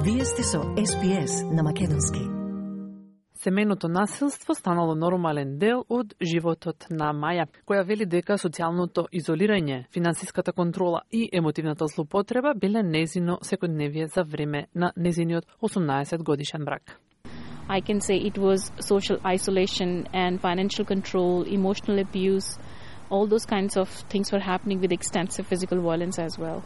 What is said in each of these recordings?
Вие сте со СПС на македонски. Семејното насилство станало нормален дел од животот на Маја, која вели дека социјалното изолирање, финансиската контрола и емотивната злоупотреба биле незино секојдневие за време на незиниот 18 годишен брак. I can say it was social isolation and financial control, emotional abuse, all those kinds of things were happening with extensive physical violence as well.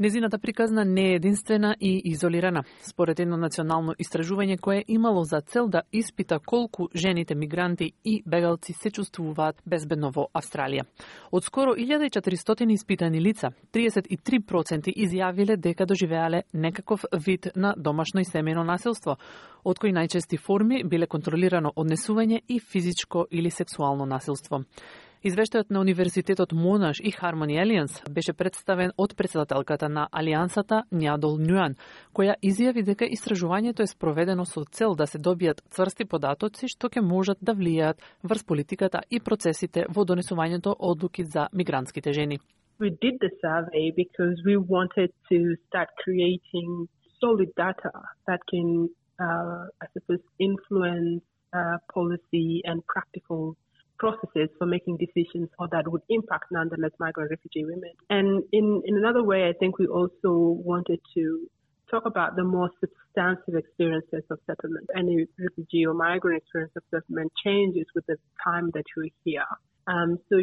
Незината приказна не е единствена и изолирана. Според едно национално истражување кое имало за цел да испита колку жените мигранти и бегалци се чувствуваат безбедно во Австралија. Од скоро 1400 испитани лица, 33% изјавиле дека доживеале некаков вид на домашно и семејно насилство, од кои најчести форми биле контролирано однесување и физичко или сексуално насилство. Извештајот на Универзитетот Монаш и Harmony Alliance беше представен од председателката на Алијансата Њадол Њуан, која изјави дека истражувањето е спроведено со цел да се добијат цврсти податоци што ќе можат да влијаат врз политиката и процесите во донесувањето одлуки за мигрантските жени. We did the survey because we wanted to start creating solid data that can, I suppose, influence policy and practical processes for making decisions or that would impact nonetheless migrant refugee women. And in another way, I think we also wanted to talk about the more substantive experiences of settlement. Any refugee or migrant experience of settlement changes with the time that you're here. So,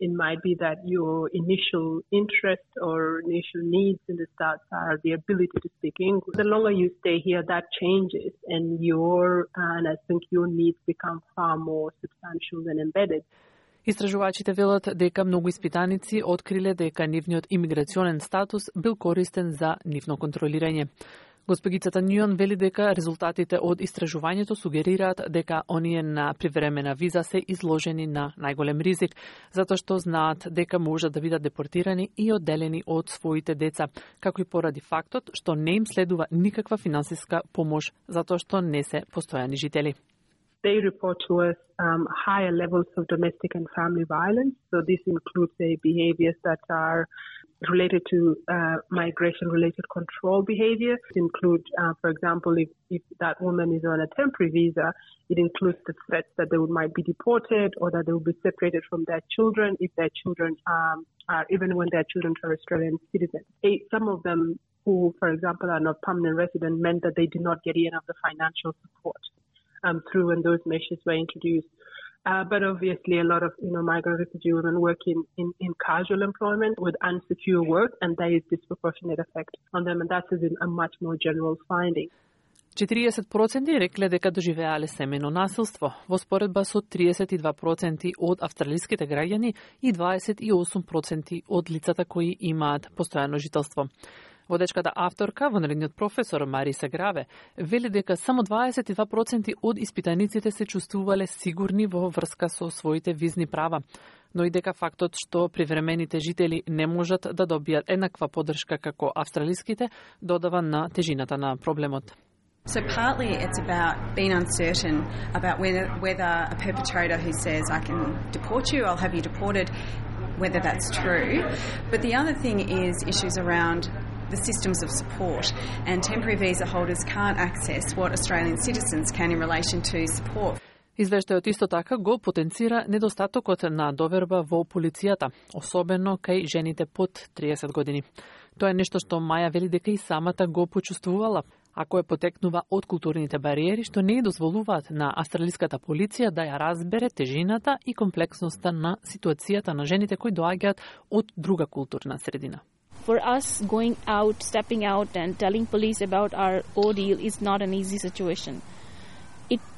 it might be that your initial interest or initial needs in the start are the ability to speak English. The longer you stay here, that changes, and I think your needs become far more substantial and embedded. Истражувачите велат дека многу испитаници откриле дека нивниот имиграционен статус бил користен за нивно контролирање. Госпогицата Њуан вели дека резултатите од истражувањето сугерираат дека оние на привремена виза се изложени на најголем ризик, затоа што знаат дека можат да бидат депортирани и одделени од своите деца, како и поради фактот што не им следува никаква финансиска помош, затоа што не се постојани жители. They report to us higher levels of domestic and family violence. So this includes behaviors that are related to migration-related control behavior. It includes, for example, if that woman is on a temporary visa, it includes the threats that they might be deported or that they will be separated from their children if their children are, even when their children are Australian citizens. Some of them who, for example, are not permanent resident meant that they did not get any of the financial support through when those measures were introduced. But obviously a lot of migrant refugee women work in casual employment with unsecure work, and there is disproportionate effect on them, and that is a much more general finding. 40% рекле дека доживеале семејно насилство, во споредба со 32% од австралиските граѓани и 28% од лицата кои имаат постојано жителство. Водечката авторка, вонредниот професор Мариса Граве, вели дека само 22% од испитаниците се чувствувале сигурни во врска со своите визни права, но и дека фактот што привремените жители не можат да добијат еднаква поддршка како австралиските, додава на тежината на проблемот. So partly it's about being uncertain about whether a perpetrator who says, I can deport you, I'll have you deported, whether that's true. But the other thing is issues around the systems of support, and temporary visa holders can't access what Australian citizens can in relation to support. Извештајот исто така го потенцира недостатокот на доверба во полицијата, особено кај жените под 30 години. Тоа е нешто што Маја вели дека и самата го почувствувала, а кое потекнува од културните бариери што не дозволуваат на австралиската полиција да ја разбере тежината и комплексноста на ситуацијата на жените кои доаѓаат од друга културна средина. For us, going out, stepping out and telling police about our ordeal is not an easy situation.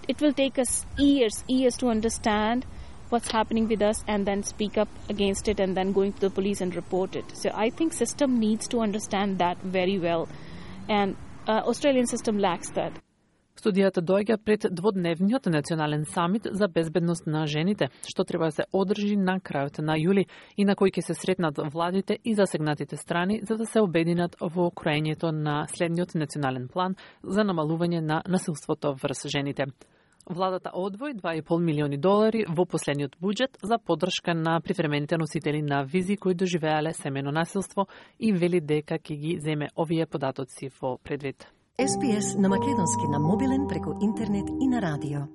It will take us years to understand what's happening with us and then speak up against it and then going to the police and report it. So I think system needs to understand that very well, and Australian system lacks that. Студијата доаѓа пред дводневниот национален самит за безбедност на жените, што треба да се одржи на крајот на јули и на кој ќе се сретнат владите и засегнатите страни за да се обединат во кроењето на следниот национален план за намалување на насилството врз жените. Владата одвои $2,5 милиони во последниот буџет за поддршка на привремените носители на визи кои доживеале семејно насилство и вели дека ќе ги земе овие податоци во предвид. SPS на македонски на мобилен преку интернет и на радио.